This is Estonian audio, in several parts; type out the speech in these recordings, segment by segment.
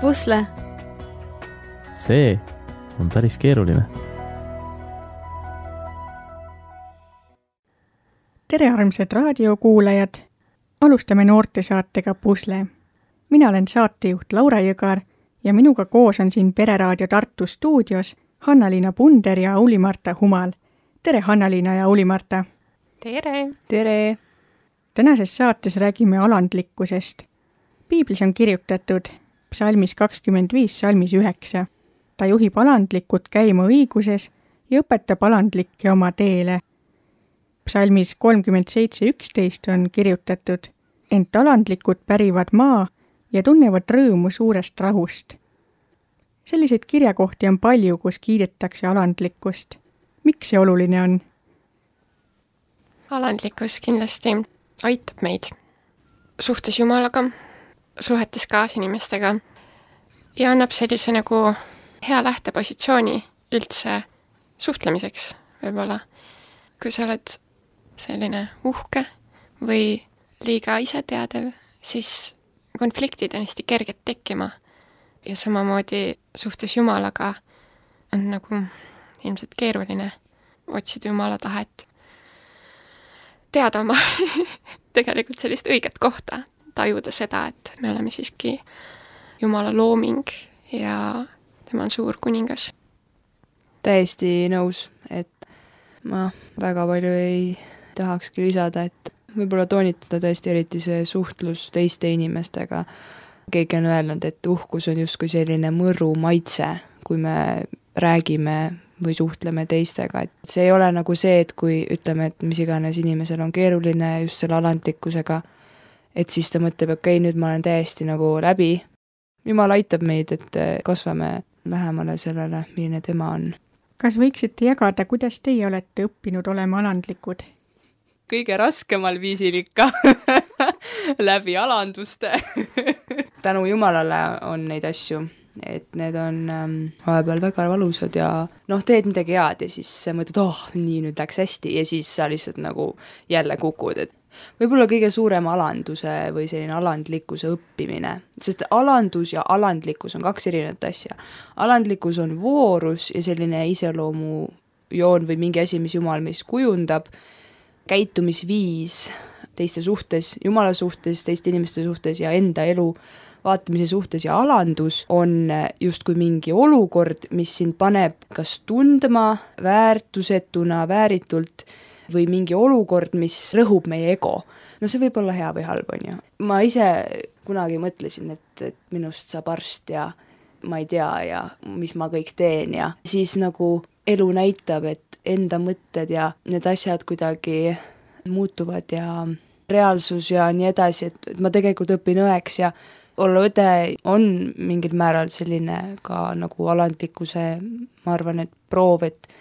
pusle. See on päris keeruline. Tere armsad raadiokuulajad! Alustame noortesaatega Pusle. Mina olen saatejuht Laura Jõgar ja minuga koos on siin Pereraadio Tartu stuudios Hanna-Liina Punder ja Auli-Marta Humal. Tere Hanna-Liina ja Auli-Marta! Tere! Tere! Tänases saates räägime alandlikkusest. Piiblis on kirjutatud psalmis 25, salmis 9. Ta juhib alandlikud käima õiguses ja õpetab alandlikke oma teele. Psalmis 37.11 on kirjutatud, ent alandlikud pärivad maa ja tunnevad rõõmu suurest rahust. Selliseid kirjakohti on palju, kus kiidetakse alandlikkust. Miks see oluline on? Alandlikkus kindlasti aitab meid suhtes Jumalaga, suhetes kaasinimestega ja annab sellise nagu hea lähtepositsiooni üldse suhtlemiseks võib-olla. Kui sa oled selline uhke või liiga iseteadev, siis konfliktid on hästi kerged tekkima ja samamoodi suhtes Jumalaga on nagu ilmselt keeruline otsida Jumala tahet, teada oma tegelikult sellist õiget kohta, tajuda seda, et me oleme siiski Jumala looming ja tema on suur kuningas. Täiesti nõus, et ma väga palju ei tahakski lisada, et võib-olla toonitada tõesti eriti see suhtlus teiste inimestega. Keegi on öelnud, et uhkus on justkui selline mõru maitse, kui me räägime või suhtleme teistega. Et see ei ole nagu see, et kui ütleme, et mis iganes inimesel on keeruline just selle alandlikkusega, et siis ta mõtleb, okei, nüüd ma olen täiesti nagu läbi. Jumal aitab meid, et kasvame lähemale sellele, milline tema on. Kas võiksite jagada, kuidas teie olete õppinud olema alandlikud? Kõige raskemal viisil ikka läbi alanduste. Tänu Jumalale on neid asju, et need on vahepeal väga valusad ja teed midagi head ja siis mõtled, nii nüüd läks hästi ja siis sa lihtsalt nagu jälle kukud, et võib-olla kõige suurem alanduse või selline alandlikkuse õppimine, sest alandus ja alandlikkus on kaks erinevat asja. Alandlikkus on voorus ja selline iseloomu joon või mingi asi, mis Jumal meis kujundab, käitumisviis teiste suhtes, Jumala suhtes, teiste inimeste suhtes ja enda elu vaatamise suhtes ja alandus on justkui mingi olukord, mis sind paneb kas tundma väärtusetuna, vääritult või mingi olukord, mis rõhub meie ego. See võib olla hea või halb, on ju. Ma ise kunagi mõtlesin, et minust saab arst ja ma ei tea ja mis ma kõik teen ja siis nagu elu näitab, et enda mõtted ja need asjad kuidagi muutuvad ja reaalsus ja nii edasi, et ma tegelikult õpin õeks ja olla õde on mingil määral selline ka nagu alandlikkuse, ma arvan, et proov, et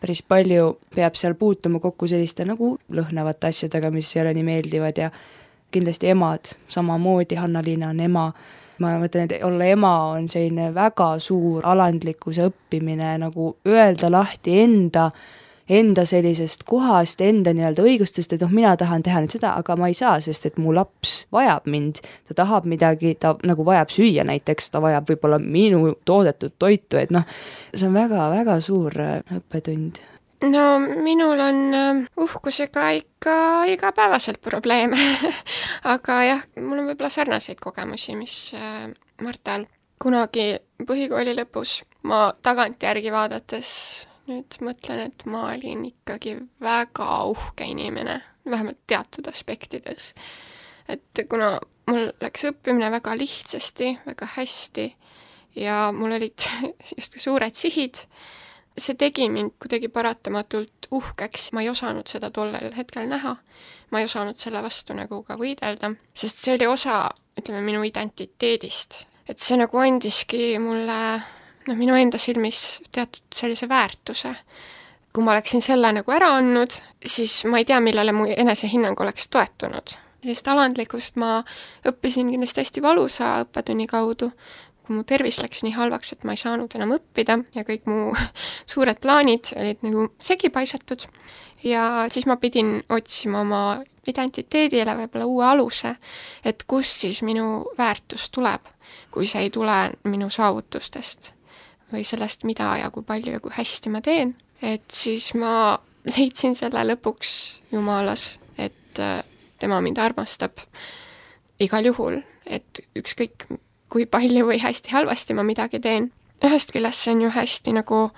päris palju peab seal puutuma kokku selliste nagu lõhnavate asjadega, mis ei ole nii meeldivad ja kindlasti emad, samamoodi Hanna-Liina on ema. Ma mõtlen, et olla ema on selline väga suur alandlikkuse õppimine, nagu öelda lahti enda sellisest kohast, enda nii-öelda õigustest, et mina tahan teha nüüd seda, aga ma ei saa, sest et mu laps vajab mind, ta tahab midagi, ta nagu vajab süüa näiteks, ta vajab võib-olla minu toodetud toitu, et see on väga-väga suur õppetund. Minul on uhkusega ikka igapäevaselt probleeme, aga jah, mul on võib-olla sarnaseid kogemusi, mis Martal kunagi põhikooli lõpus. Ma tagantjärgi vaadates nüüd mõtlen, et ma olin ikkagi väga uhke inimene, vähemalt teatud aspektides. Et kuna mul läks õppimine väga lihtsasti, väga hästi ja mul olid just suured sihid, see tegi mind kuidagi paratamatult uhkeks. Ma ei osanud seda tollel hetkel näha. Ma ei osanud selle vastu nagu ka võidelda, sest see oli osa, minu identiteedist. Et see nagu andiski mulle minu enda silmis teatud sellise väärtuse. Kui ma oleksin selle nagu ära andnud, siis ma ei tea, millele mu enesehinnang oleks toetunud. Sellist alandlikust ma õppisin kindlasti hästi valusa õppetunni kaudu, kui mu tervis läks nii halvaks, et ma ei saanud enam õppida ja kõik mu suured plaanid olid nagu segi paisatud. ja siis ma pidin otsima oma identiteedile võib-olla uue aluse, et kust siis minu väärtus tuleb, kui see ei tule minu saavutustest või sellest, mida ja kui palju ja kui hästi ma teen. Et siis ma leidsin selle lõpuks Jumalas, et tema mind armastab igal juhul, et ükskõik kui palju või hästi halvasti ma midagi teen. Ühest küljest see on ju hästi nagu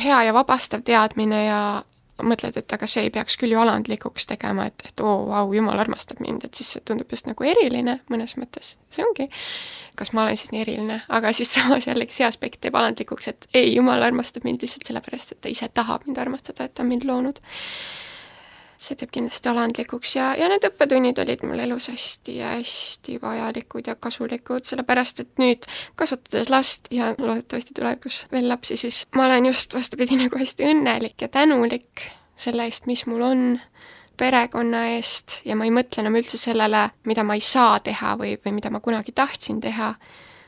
hea ja vabastav teadmine ja mõtled, et aga see ei peaks küll ju alandlikuks tegema, et vau, Jumal armastab mind, et siis see tundub just nagu eriline mõnes mõttes. See ongi, kas ma olen siis nii eriline, aga siis samas jällegi see aspekt teeb alandlikuks, et ei, Jumal armastab mind lihtsalt sellepärast, et ta ise tahab mind armastada, et ta on mind loonud. See teeb kindlasti alandlikuks ja need õppetunnid olid mul elus hästi vajalikud ja kasulikud, sellepärast et nüüd kasvatades last ja loodetavasti tulevikus veel lapsi, siis ma olen just vastupidi nagu hästi õnnelik ja tänulik selle eest, mis mul on, perekonna eest ja ma ei mõtle enam üldse sellele, mida ma ei saa teha või mida ma kunagi tahtsin teha,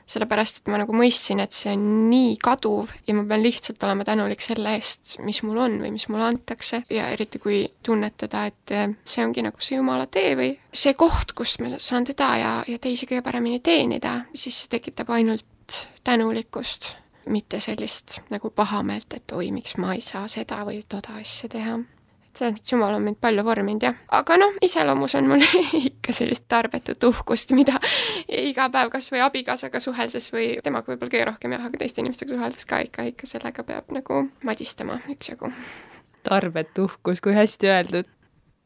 sellepärast et ma nagu mõistsin, et see on nii kaduv ja ma pean lihtsalt olema tänulik selle eest, mis mul on või mis mulle antakse ja eriti kui tunnetada, et see ongi nagu see Jumala tee või see koht, kus ma saan teda ja teisi kõige paremini teenida, siis see tekitab ainult tänulikkust, mitte sellist nagu pahameelt, et oi, miks ma ei saa seda või toda asja teha. Selles mõttes Jumal on mind palju vorminud, jah. Aga iseloomus on mul ikka sellist tarbetut uhkust, mida iga päev kas või abikaasaga suheldes või temaga võib-olla kõige rohkem jah, aga teiste inimestega suheldes ka ikka sellega peab nagu madistama üksjagu. Tarbetu uhkus, kui hästi öeldud.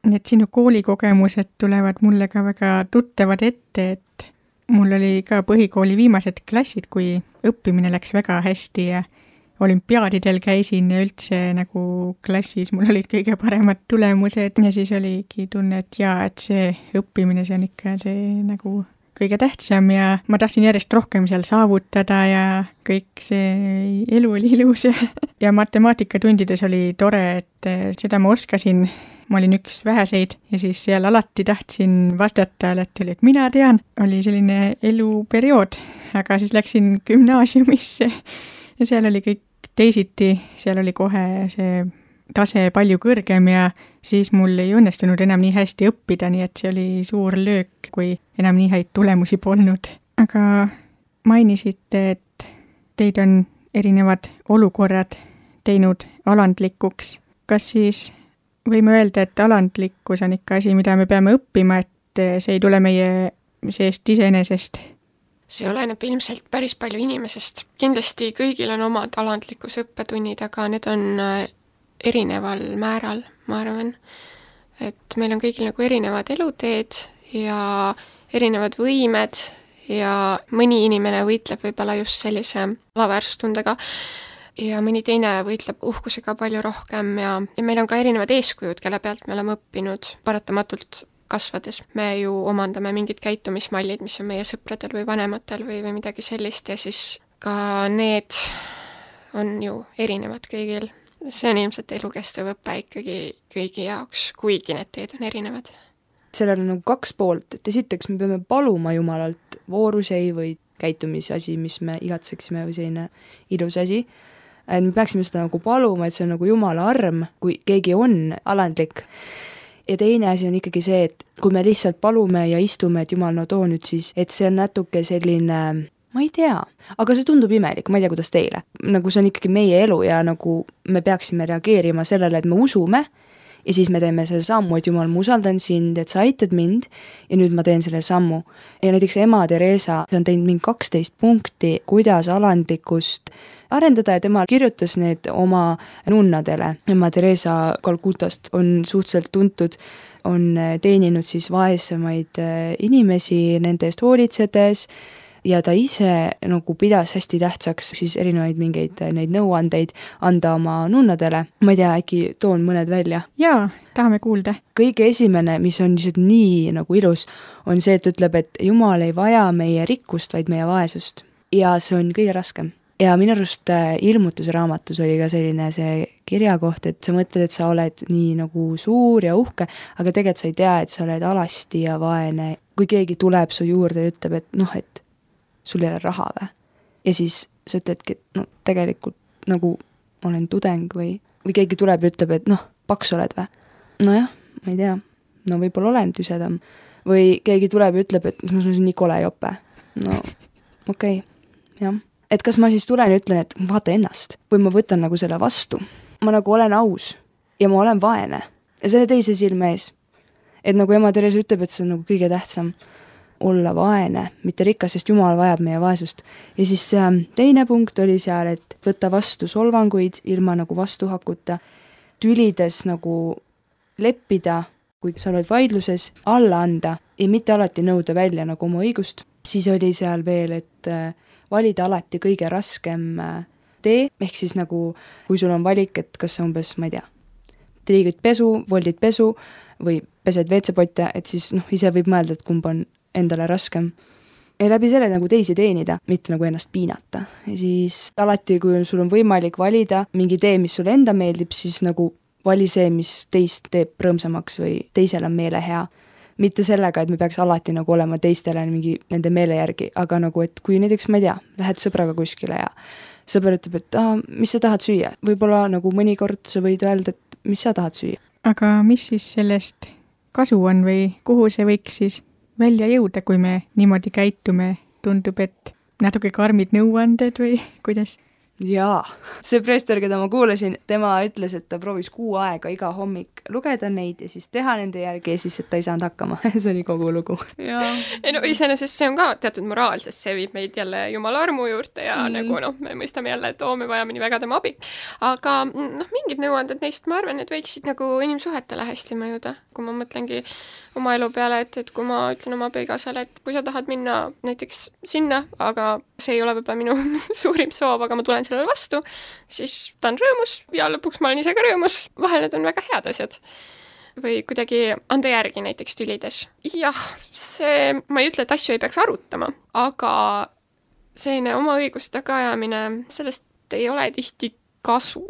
Need sinu koolikogemused tulevad mulle ka väga tuttavad ette, et mul oli ka põhikooli viimased klassid, kui õppimine läks väga hästi ja olümpiaadidel käisin ja üldse nagu klassis mul olid kõige paremad tulemused ja siis oligi tunne, et et see õppimine, see on ikka see nagu kõige tähtsam ja ma tahtsin järjest rohkem seal saavutada ja kõik see elu oli ilus ja matemaatikatundides oli tore, et seda ma oskasin, ma olin üks väheseid ja siis seal alati tahtsin vastata, alati oli, et mina tean, oli selline eluperiood, aga siis läksin gümnaasiumisse ja seal oli kõik teisiti, seal oli kohe see tase palju kõrgem ja siis mul ei õnnestunud enam nii hästi õppida, nii et see oli suur löök, kui enam nii häid tulemusi polnud. Aga mainisite, et teid on erinevad olukorrad teinud alandlikuks. Kas siis võime öelda, et alandlikkus on ikka asi, mida me peame õppima, et see ei tule meie seest iseenesest? See oleneb ilmselt päris palju inimesest. Kindlasti kõigil on omad alandlikkuse õppetunnid, aga need on erineval määral, ma arvan. Et meil on kõigil nagu erinevad eluteed ja erinevad võimed ja mõni inimene võitleb võib-olla just sellise alaväärsustundega ja mõni teine võitleb uhkusega palju rohkem ja meil on ka erinevad eeskujud, kelle pealt me oleme õppinud paratamatult kasvades. Me ju omandame mingid käitumismallid, mis on meie sõpradel või vanematel või midagi sellist ja siis ka need on ju erinevad kõigil. See on ilmselt elukestev õpe ikkagi kõigi jaoks, kuigi need teed on erinevad. Sellel on nagu kaks poolt, et esiteks me peame paluma Jumalalt voorusei või käitumisasi, mis me igatseksime või selline ilus asi. Me peaksime seda nagu paluma, et see on nagu Jumala arm, kui keegi on alandlik. Ja teine asi on ikkagi see, et kui me lihtsalt palume ja istume, et Jumal, no too nüüd siis, et see on natuke selline, ma ei tea, aga see tundub imelik, ma ei tea, kuidas teile. Nagu see on ikkagi meie elu ja nagu me peaksime reageerima sellele, et me usume ja siis me teeme selle sammu, et Jumal, ma usaldan sind, et sa aitad mind ja nüüd ma teen selle sammu. Ja näiteks ema Teresa on teinud mingi 12 punkti, kuidas alandlikkust arendada ja tema kirjutas need oma nunnadele. Ema Teresa Kalkutast on suhteliselt tuntud, on teeninud siis vaesemaid inimesi nende eest hoolitsedes ja ta ise nagu pidas hästi tähtsaks siis erinevaid mingeid neid nõuandeid anda oma nunnadele. Ma ei tea, äkki toon mõned välja? Jaa, tahame kuulda. Kõige esimene, mis on lihtsalt nii nagu ilus, on see, et ütleb, et Jumal ei vaja meie rikkust, vaid meie vaesust. Ja see on kõige raskem. Ja minu arust ilmutuse raamatus oli ka selline see kirjakoht, et sa mõtled, et sa oled nii nagu suur ja uhke, aga tegelikult sa ei tea, et sa oled alasti ja vaene. Kui keegi tuleb su juurde ja ütleb, et et sul ei ole raha või? Ja siis sa ütledki, et tegelikult nagu olen tudeng või keegi tuleb ja ütleb, et paks oled või? nojah, ma ei tea, no võib-olla olen tüsedam või keegi tuleb ja ütleb, et ma olen nii kole jope. No okei, jah. Et kas ma siis tulen ja ütlen, et vaata ennast või ma võtan nagu selle vastu. Ma nagu olen aus ja ma olen vaene ja selle teise silme ees. Et nagu ema Terese ütleb, et see on nagu kõige tähtsam olla vaene, mitte rikas, sest Jumal vajab meie vaesust. Ja siis teine punkt oli seal, et võtta vastu solvanguid ilma nagu vastuhakuta, tülides nagu leppida, kui sa oled vaidluses, alla anda ja mitte alati nõuda välja nagu oma õigust. Siis oli seal veel, et valida alati kõige raskem tee, ehk siis nagu, kui sul on valik, et kas umbes, ma ei tea, triigid pesu, voldid pesu või pesed WC-potte, et siis ise võib mõelda, et kumb on endale raskem. Ja läbi selle nagu teisi teenida, mitte nagu ennast piinata. Ja siis alati, kui sul on võimalik valida mingi tee, mis sulle enda meeldib, siis nagu vali see, mis teist teeb rõõmsamaks või teisel on meele hea. Mitte sellega, et me peaks alati nagu olema teistele mingi nende meele järgi, aga nagu, et kui näiteks, ma ei tea, lähed sõbraga kuskile ja sõber ütleb, et mis sa tahad süüa? Võib-olla nagu mõnikord sa võid öelda, et mis sa tahad süüa. Aga mis siis sellest kasu on või kuhu see võiks siis välja jõuda, kui me niimoodi käitume? Tundub, et natuke karmid nõuanded või kuidas? Jaa, see preester, keda ma kuulasin, tema ütles, et ta proovis 6 aega iga hommik lugeda neid ja siis teha nende järgi ja siis, et ta ei saanud hakkama. See oli kogu lugu. Ei no iseenesest see on ka teatud moraal, sest see viib meid jälle Jumala armu juurde ja nagu me mõistame jälle, et me vajame nii väga tema abi. Aga mingid nõuanded neist, ma arvan, et võiksid nagu inimsuhetele hästi mõjuda. Kui ma mõtlengi oma elu peale, et kui ma ütlen oma abikaasale, et kui sa tahad minna näiteks sinna, aga see ei ole võib-olla minu suurim soov, aga ma tulen sellele vastu, siis ta on rõõmus ja lõpuks ma olen ise ka rõõmus. Vahel need on väga head asjad. Või kuidagi anda järgi näiteks tülides. Jah, ma ei ütle, et asju ei peaks arutama, aga selline oma õigust tagaajamine, sellest ei ole tihti kasu.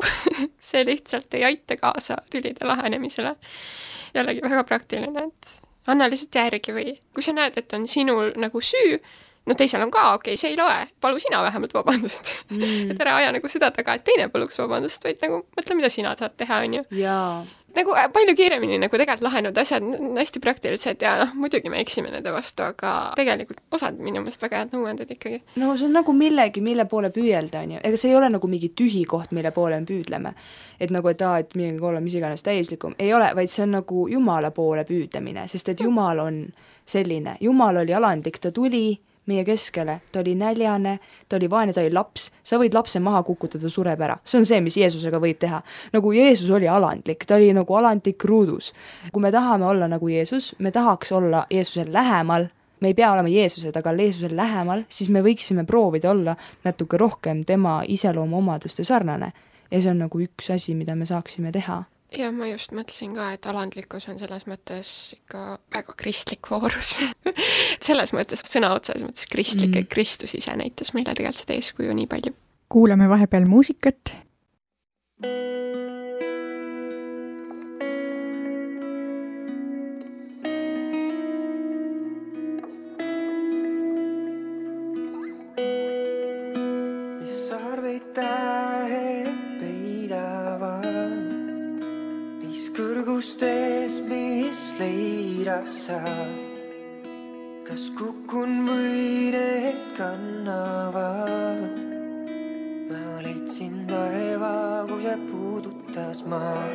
See lihtsalt ei aita kaasa tülide lahenemisele. Jällegi väga praktiline, et anna lihtsalt järgi või kui sa näed, et on sinul nagu süü, teisel on ka, okei, see ei loe, palu sina vähemalt vabandust. Et ära aja nagu seda taga, et teine paluks vabandust, vaid nagu mõtle, mida sina saad teha, on ju. Jaa. Nagu palju kiiremini nagu tegelikult lahenud asjad, hästi praktilised ja muidugi me eksime nende vastu, aga tegelikult osad minu meelest väga head nõuanded ikkagi. No see on nagu millegi, mille poole püüelda, on ju. Ega see ei ole nagu mingi tühi koht, mille poole me püüdleme. Et nagu, et midagi olla mis iganes täislikum. Ei ole, vaid see on nagu Jumala poole püüdlemine, sest et Jumal on selline. Jumal oli alandlik, ta tuli meie keskele, ta oli näljane, ta oli vaene, ta oli laps, sa võid lapse maha kukutada, sureb ära. See on see, mis Jeesusega võib teha. Nagu Jeesus oli alandlik, ta oli nagu alandlik ruudus. Kui me tahame olla nagu Jeesus, me tahaks olla Jeesusel lähemal, me ei pea olema Jeesused, aga Jeesusel lähemal, siis me võiksime proovida olla natuke rohkem tema iseloomu omaduste sarnane. Ja see on nagu üks asi, mida me saaksime teha. Ja ma just mõtlesin ka, et alandlikkus on selles mõttes ikka väga kristlik voorus. Selles mõttes sõna otses mõttes kristlik, et Kristus ise näitas meile tegelikult seda eeskuju nii palju. Kuulame vahepeal muusikat. Kõrgustes, mis leidasad, kas kukun või need kannavad. Ma leidsin taeva, kui see puudutas maa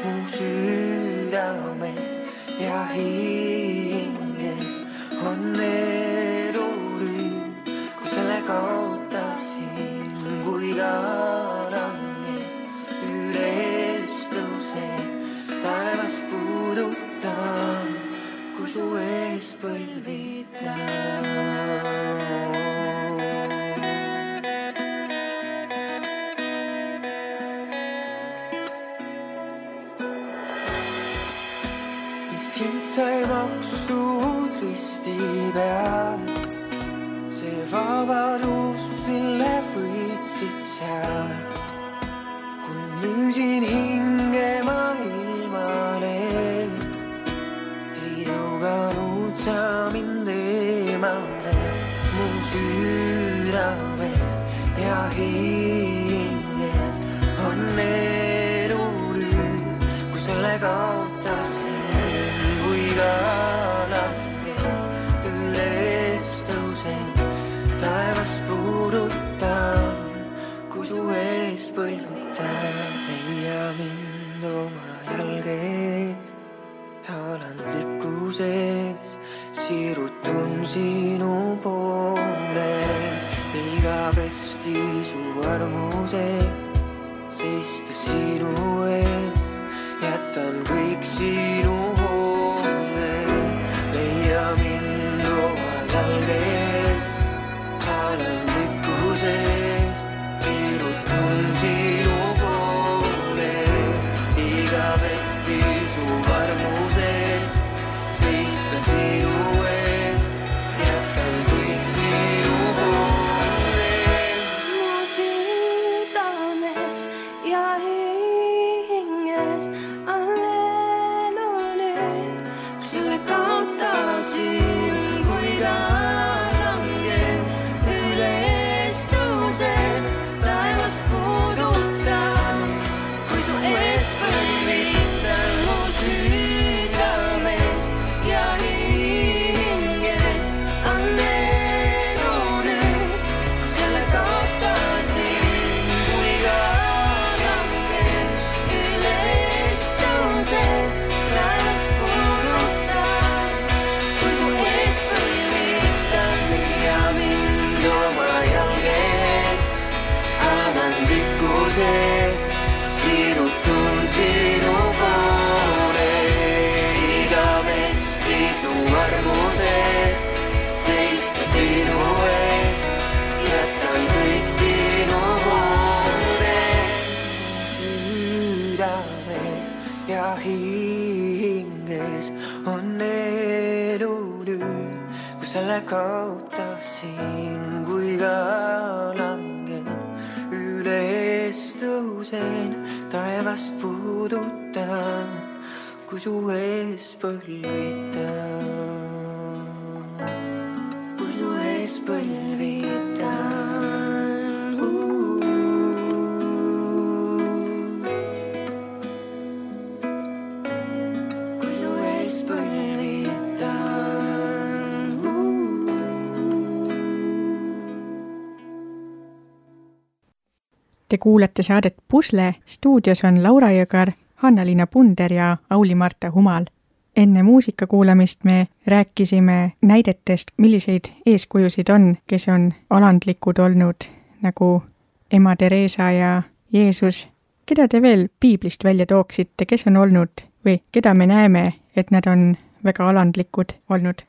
mu südames ja hinges on edurüüm, kui selle kaotasin, kui ka su ees põlvita. Mis hind sai makstud risti peal, see vabadus, mille võitsid seal. Kui müüsin hinge ma ilmale, sa mind eemale mu südames ja hinges on edurüüm, kui selle kaotas alandlikkuses siirutun sinu poole, igavesti su armuses seista sinu ees, jätan kõik sinu hoole, leia mind oma jalgees, alandlikkuses siirutun sinu poole, igavesti su armuses seista sinu ees, jätan kõik sinu hoole. Mu südames ja hinges on elu nüüd, kui selle kaotasin, kui ta langen üles tõusen, taevast puudutan, kui su ees põlvitan. Mu südames ja hinges on elu nüüd, kui selle kaotasin, kui ta langen üles tõusen, taevast puudutan, kui su ees põlvitan. Leia mind oma jalgees, alandlikkuses siirutun sinu poole, igavesti su armuses seista sinu ees, jätan kõik sinu hoole. Südames ja hinges on elu nüüd, kui selle kaotasin, kui ka langen üles tõusen, taevast puudutan, kui su ees põlvitan, kui su ees põlvitan. Kui su ees põlvitan. Te kuulate saadet Pusle, stuudios on Laura Jõgar, Hanna-Liina Punder ja Auli-Marta Humal. Enne muusika kuulamist me rääkisime näidetest, milliseid eeskujusid on, kes on alandlikud olnud, nagu ema Theresa ja Jeesus. Keda te veel piiblist välja tooksite, kes on olnud või keda me näeme, et nad on väga alandlikud olnud?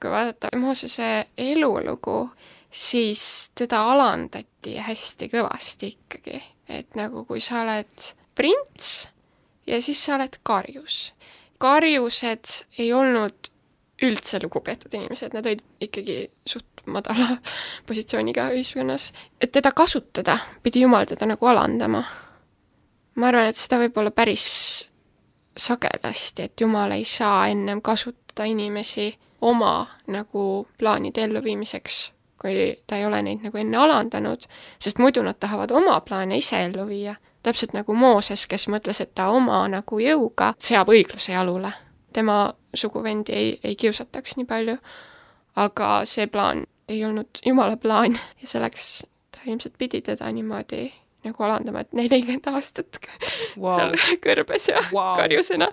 Kui vaadata Moosese elulugu, siis teda alandati hästi kõvasti ikkagi. Et nagu kui sa oled prints ja siis sa oled karjus. Karjused ei olnud üldse lugupeetud inimesed, nad olid ikkagi suht madala positsiooniga ühiskonnas. Et teda kasutada, pidi Jumal teda nagu alandama. Ma arvan, et seda võib olla päris sagedasti, et Jumal ei saa ennem kasutada inimesi oma nagu plaanide elluviimiseks, kui ta ei ole neid nagu enne alandanud, sest muidu nad tahavad oma plaane ise ellu viia. Täpselt nagu Mooses, kes mõtles, et ta oma nagu jõuga seab õigluse jalule. Tema suguvendi ei kiusataks nii palju, aga see plaan ei olnud Jumala plaan ja selleks ta ilmselt pidi teda niimoodi nagu alandama, et 40 aastat seal kõrbes ja karjusena.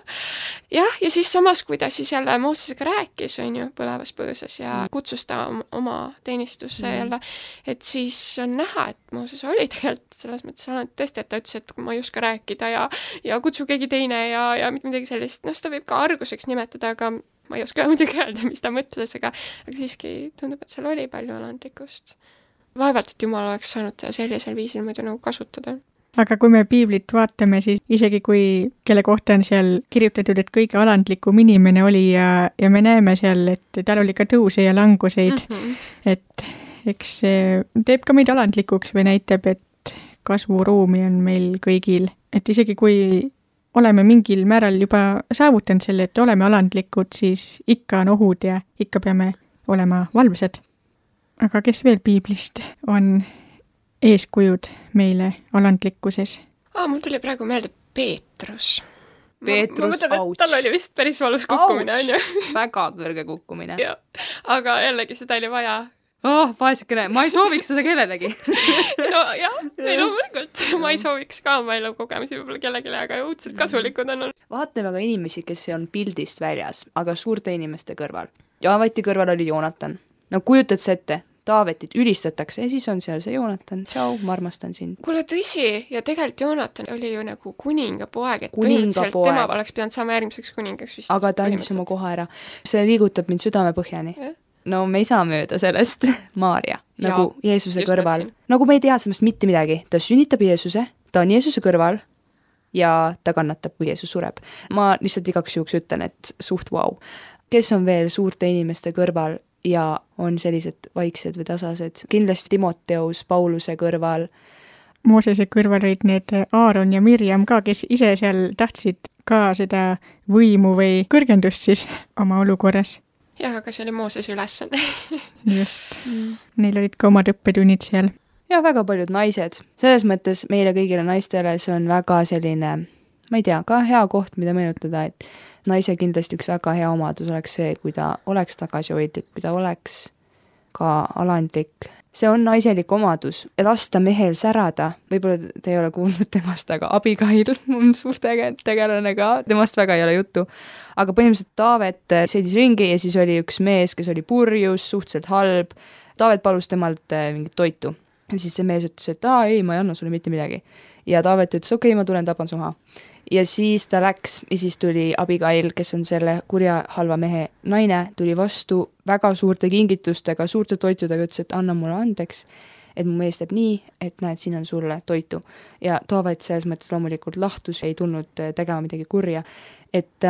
Jah, ja siis samas, kui ta siis jälle Moosesega rääkis, on ju, põlevas põõsas ja kutsus ta oma teenistusse jälle, et siis on näha, et Mooses oli tegelikult selles mõttes tõesti, et ta ütles, et ma ei oska rääkida ja kutsu keegi teine ja midagi sellist. Seda võib ka arguseks nimetada, aga ma ei oska muidugi öelda, mis ta mõtles, aga siiski tundub, et seal oli palju alandlikkust. Vaevalt, et Jumal oleks saanud sellisel viisil muidu nagu kasutada. Aga kui me piiblit vaatame, siis isegi kui kelle kohta on seal kirjutatud, et kõige alandlikum inimene oli ja me näeme seal, et tal oli ka tõuse ja languseid, et eks see teeb ka meid alandlikuks või näitab, et kasvuruumi on meil kõigil. Et isegi kui oleme mingil määral juba saavutanud selle, et oleme alandlikud, siis ikka on ohud ja ikka peame olema valvsad. Aga kes veel piiblist on eeskujud meile alandlikkuses? Mul tuli praegu meelde Peetrus. Peetrus, auts. Tal oli vist päris valus kukkumine, on ju? Väga kõrge kukkumine. Ja. Aga jällegi seda oli vaja. vaesekene, ma ei sooviks seda kellelegi. no jah, ei loomulikult, ma ei sooviks ka oma elukogemusi võib-olla kellelegi, aga õudselt kasulikud on. Vaatame aga inimesi, kes on pildist väljas, aga suurte inimeste kõrval. Taaveti kõrval oli Joonatan. No kujutad sa ette, Taavetit ülistatakse ja siis on seal see Joonatan. Tšau, ma armastan sind. Kuule, tõsi, ja tegelikult Joonatan oli ju nagu kuningapoeg, et põhimõtteliselt tema oleks pidanud saama järgmiseks kuningaks vist. Aga ta andis oma koha ära. See liigutab mind südame põhjani. No me ei saa mööda sellest. Maarja, nagu Jeesuse kõrval. Nagu me ei tea sellest mitte midagi. Ta sünnitab Jeesuse, ta on Jeesuse kõrval ja ta kannatab, kui Jeesus sureb. Ma lihtsalt igaks juhuks ütlen, et suht vau. Kes on veel suurte inimeste kõrval ja on sellised vaiksed või tasased? Kindlasti Timoteus Pauluse kõrval. Moosese kõrval olid need Aaron ja Mirjam ka, kes ise seal tahtsid ka seda võimu või kõrgendust siis oma olukorras. Jah, aga see oli Mooses ülesanne. Just. Neil olid ka omad õppetunnid seal. Ja väga paljud naised. Selles mõttes meile kõigile naistele see on väga selline, ma ei tea, ka hea koht, mida meenutada, et naise kindlasti üks väga hea omadus oleks see, kui ta oleks tagasihoidlik, kui ta oleks ka alandlik. See on naiselik omadus ja lasta mehel särada. Võib-olla te ei ole kuulnud temast, aga Abigail on suur tegelane ka, temast väga ei ole juttu. Aga põhimõtteliselt Taavet sõidis ringi ja siis oli üks mees, kes oli purjus, suhteliselt halb. Taavet palus temalt mingit toitu. Ja siis see mees ütles, et ei, ma ei anna sulle mitte midagi. Ja Taavet ütles, okei, ma tulen tapan su maha. Ja siis ta läks ja siis tuli Abigail, kes on selle kurja halva mehe naine, tuli vastu väga suurte kingitustega, suurte toitudega, ütles, et anna mulle andeks, et mu mees teeb nii, et näed, siin on sulle toitu. Ja Taavet selles mõttes loomulikult lahtus, ei tulnud tegema midagi kurja. Et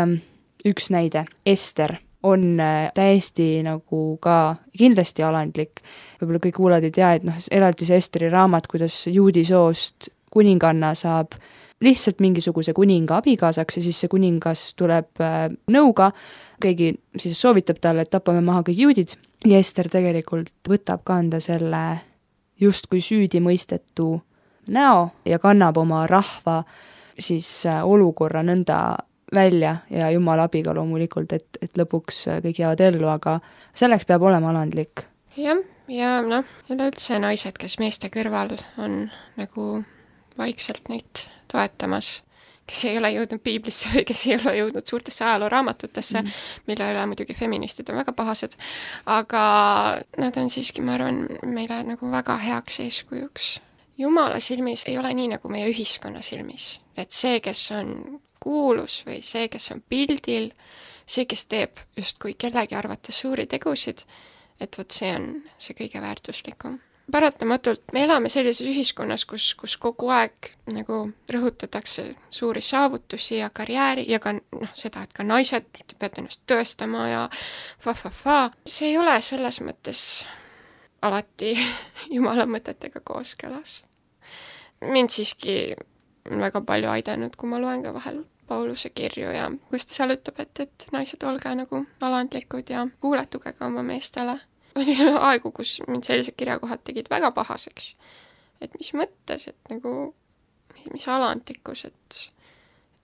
üks näide, Ester on täiesti nagu ka kindlasti alandlik. Võib-olla kõik kuulad ei tea, et eraldi see Esteri raamat, kuidas juudi soost kuninganna saab lihtsalt mingisuguse kuninga abikaasaks ja siis see kuningas tuleb nõuga, keegi siis soovitab talle, et tapame maha kõik juudid ja Ester tegelikult võtab kanda selle justkui süüdi mõistetu näo ja kannab oma rahva siis olukorra nõnda välja ja Jumala abiga loomulikult, et lõpuks kõik jäävad ellu, aga selleks peab olema alandlik. Jah, ja üleüldse naised, kes meeste kõrval on nagu vaikselt neid toetamas, kes ei ole jõudnud piiblisse või kes ei ole jõudnud suurtesse ajalooraamatutesse, mille üle muidugi feministid on väga pahased, aga nad on siiski, ma arvan, meile nagu väga heaks eeskujuks. Jumala silmis ei ole nii nagu meie ühiskonna silmis, et see, kes on kuulus või see, kes on pildil, see, kes teeb justkui kellegi arvates suuri tegusid, et vot see on see kõige väärtuslikum. Paratamatult me elame sellises ühiskonnas, kus kogu aeg nagu rõhutatakse suuri saavutusi ja karjääri ja ka seda, et ka naised peavad ennast tõestama ja fa. See ei ole selles mõttes alati Jumala mõtetega kooskõlas. Mind siiski on väga palju aidanud, kui ma loen ka vahel Pauluse kirju ja kus ta seal ütleb, et naised olge nagu alandlikud ja kuuletuge ka oma meestele. Oli aegu, kus mind sellised kirjakohad tegid väga pahaseks. Et mis mõttes, et nagu, mis alandlikkus, et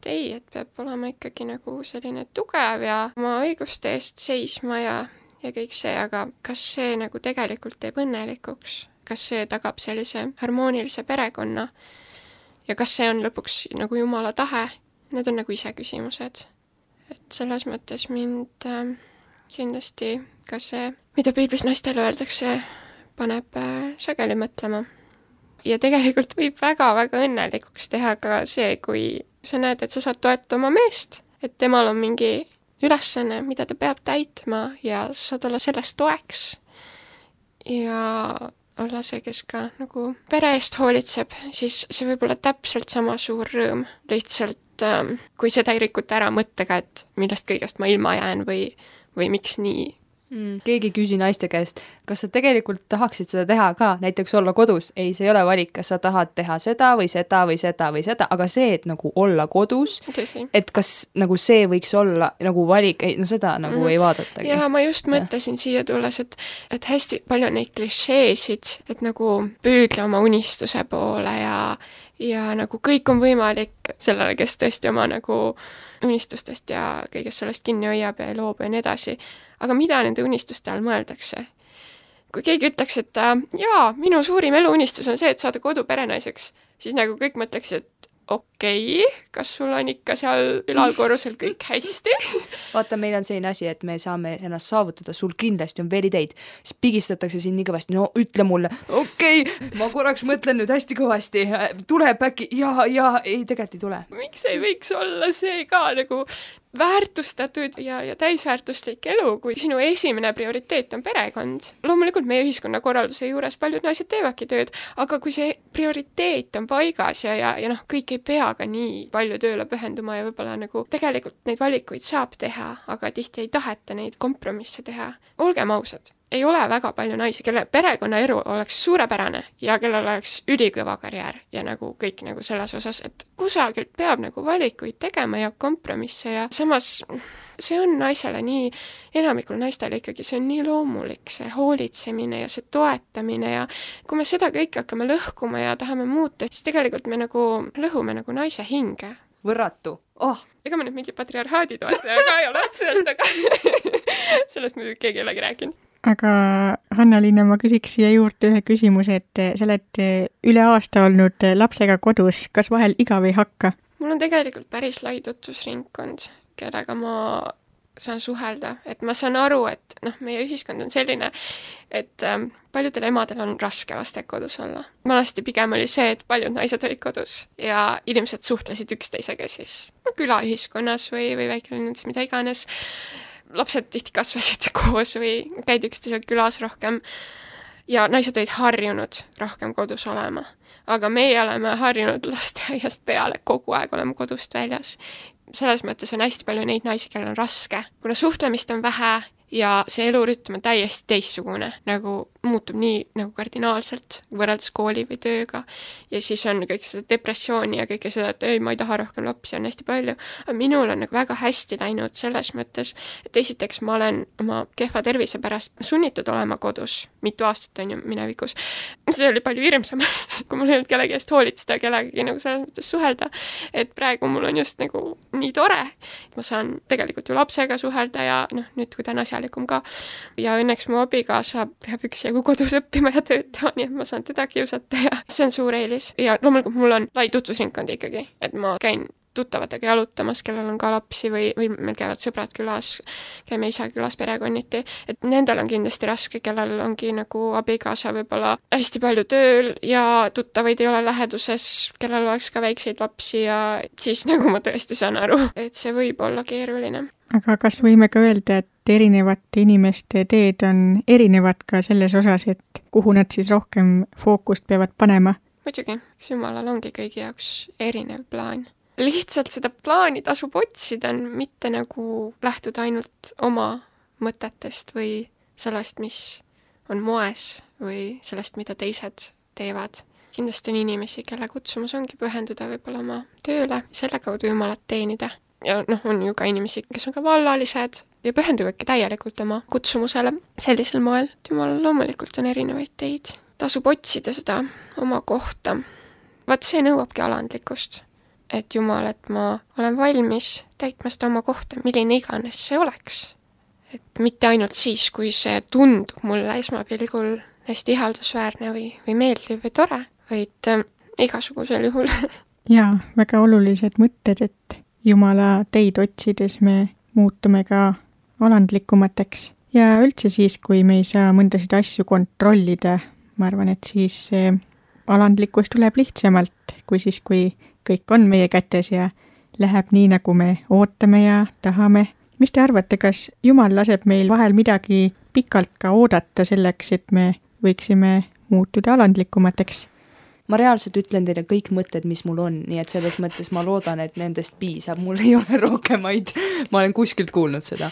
ei, et peab olema ikkagi nagu selline tugev ja oma õiguste eest seisma ja kõik see, aga kas see nagu tegelikult teeb õnnelikuks? Kas see tagab sellise harmoonilise perekonna? Ja kas see on lõpuks nagu Jumala tahe? Need on nagu ise küsimused. Et selles mõttes mind kindlasti ka see, mida piiblis naistele öeldakse, paneb sageli mõtlema. Ja tegelikult võib väga-väga õnnelikuks teha ka see, kui sa näed, et sa saad toetada oma meest, et temal on mingi ülesanne, mida ta peab täitma ja saad olla sellest toeks ja olla see, kes ka nagu pere eest hoolitseb, siis see võib olla täpselt sama suur rõõm. Lihtsalt, kui seda ei rikuta ära mõttega, et millest kõigest ma ilma jään või miks nii. Keegi küsi naiste käest, kas sa tegelikult tahaksid seda teha ka, näiteks olla kodus? Ei, see ei ole valik, kas sa tahad teha seda või seda või seda või seda, aga see, et nagu olla kodus, et kas nagu see võiks olla nagu valik, ei, no seda nagu ei vaadatagi. Ja ma just mõtlesin siia tulles, et hästi palju neid klišeesid, et nagu püüdle oma unistuse poole ja nagu kõik on võimalik sellele, kes tõesti oma nagu unistustest ja kõigest sellest kinni hoiab ja ei loobu ja nii edasi. Aga mida nende unistuste all mõeldakse? kui keegi ütleks, et jaa, minu suurim eluunistus on see, et saada kodu perenaiseks, siis nagu kõik mõtleks, et okei, kas sul on ikka seal ülalkorrusel kõik hästi? Vaata, meil on selline asi, et me saame ennast saavutada, sul kindlasti on veel ideid, siis pigistatakse siin nii kõvasti, no ütle mulle, okei, ma korraks mõtlen nüüd hästi kõvasti, tuleb äkki, ja, ei, tegelikult ei tule. Miks ei võiks olla see ka nagu väärtustatud ja täisväärtuslik elu, kui sinu esimene prioriteet on perekond. Loomulikult meie ühiskonnakorralduse juures paljud naised teevadki tööd, aga kui see prioriteet on paigas ja noh, kõik ei pea ka nii palju tööle pühenduma ja võib-olla nagu tegelikult neid valikuid saab teha, aga tihti ei taheta neid kompromisse teha. Olgem ausad, ei ole väga palju naisi, kelle perekonnaelu oleks suurepärane ja kellel oleks ülikõva karjäär ja nagu kõik nagu selles osas, et kusagilt peab nagu valikuid tegema ja kompromisse ja samas see on naisele nii, enamikul naistele ikkagi, see on nii loomulik, see hoolitsemine ja see toetamine ja kui me seda kõike hakkame lõhkuma ja tahame muuta, siis tegelikult me nagu lõhume nagu naise hinge. Võrratu. Ega me nüüd mingi patriarhaadi toetaja ka ei ole otseselt, aga sellest muidugi keegi ei olegi rääkinud. Aga Hanna-Liina, ma küsiks siia juurde ühe küsimuse, et sa oled üle aasta olnud lapsega kodus, kas vahel igav ei hakka? Mul on tegelikult päris lai tutvusringkond, kellega ma saan suhelda, et ma saan aru, et meie ühiskond on selline, et paljudel emadel on raske lastega kodus olla. Vanasti pigem oli see, et paljud naised olid kodus ja inimesed suhtlesid üksteisega siis külaühiskonnas või väikelinnas, mida iganes. Lapsed tihti kasvasid koos või käid üksteisel külas rohkem ja naised olid harjunud rohkem kodus olema. Aga meie oleme harjunud lasteaiast peale, kogu aeg oleme kodust väljas. Selles mõttes on hästi palju neid naisi, kellel on raske, kuna suhtlemist on vähe ja see elurütm on täiesti teistsugune, nagu muutub nii nagu kardinaalselt võrreldes kooli või tööga ja siis on kõik seda depressiooni ja kõike seda, et ei, ma ei taha rohkem lapsi, on hästi palju. Aga minul on nagu väga hästi läinud selles mõttes, et esiteks ma olen oma kehva tervise pärast sunnitud olema kodus, mitu aastat on ju minevikus. See oli palju hirmsam, kui mul ei olnud kellegi eest hoolitseda, kellegi nagu selles mõttes suhelda, et praegu mul on just nagu nii tore. Ma saan tegelikult ju lapsega suhelda ja nüüd kui ta on asjalikum ka. Ja õnneks mu abikaasa peab üksjagu kodus õppima ja töötama, nii et ma saan teda kiusata ja see on suur eelis. Ja loomulikult mul on lai tutvusringkond ikkagi, et ma käin tuttavatega jalutamas, kellel on ka lapsi või meil käivad sõbrad külas, käime isa külas perekonniti, et nendel on kindlasti raske, kellel ongi nagu abikaasa võib-olla hästi palju tööl ja tuttavaid ei ole läheduses, kellel oleks ka väikseid lapsi ja siis nagu ma tõesti saan aru, et see võib olla keeruline. Aga kas võime ka öelda, et erinevate inimeste teed on erinevad ka selles osas, et kuhu nad siis rohkem fookust peavad panema? Muidugi, Jumalal ongi kõigi jaoks erinev plaan. Lihtsalt seda plaani tasub otsida, mitte nagu lähtuda ainult oma mõtetest või sellest, mis on moes või sellest, mida teised teevad. Kindlasti on inimesi, kelle kutsumus ongi pühenduda võib-olla oma tööle, selle kaudu Jumalat teenida. Ja on ju ka inimesi, kes on ka vallalised ja pühenduvadki täielikult oma kutsumusele sellisel moel. Jumal loomulikult on erinevaid teid. Tasub otsida seda oma kohta. Vaat see nõuabki alandlikkust. Et Jumal, et ma olen valmis täitma seda oma kohta, milline iganes see oleks. Et mitte ainult siis, kui see tundub mulle esmapilgul hästi ihaldusväärne või meeldiv või tore, vaid igasugusel juhul. Jaa, väga olulised mõtted, et Jumala teid otsides me muutume ka alandlikumateks. Ja üldse siis, kui me ei saa mõndasid asju kontrollida, ma arvan, et siis alandlikkus tuleb lihtsamalt, kui siis, kui kõik on meie kätes ja läheb nii, nagu me ootame ja tahame. Mis te arvate, kas Jumal laseb meil vahel midagi pikalt ka oodata selleks, et me võiksime muutuda alandlikumateks? Ma reaalselt ütlen teile kõik mõtted, mis mul on, nii et selles mõttes ma loodan, et nendest piisab, mul ei ole rohkemaid, ma olen kuskilt kuulnud seda.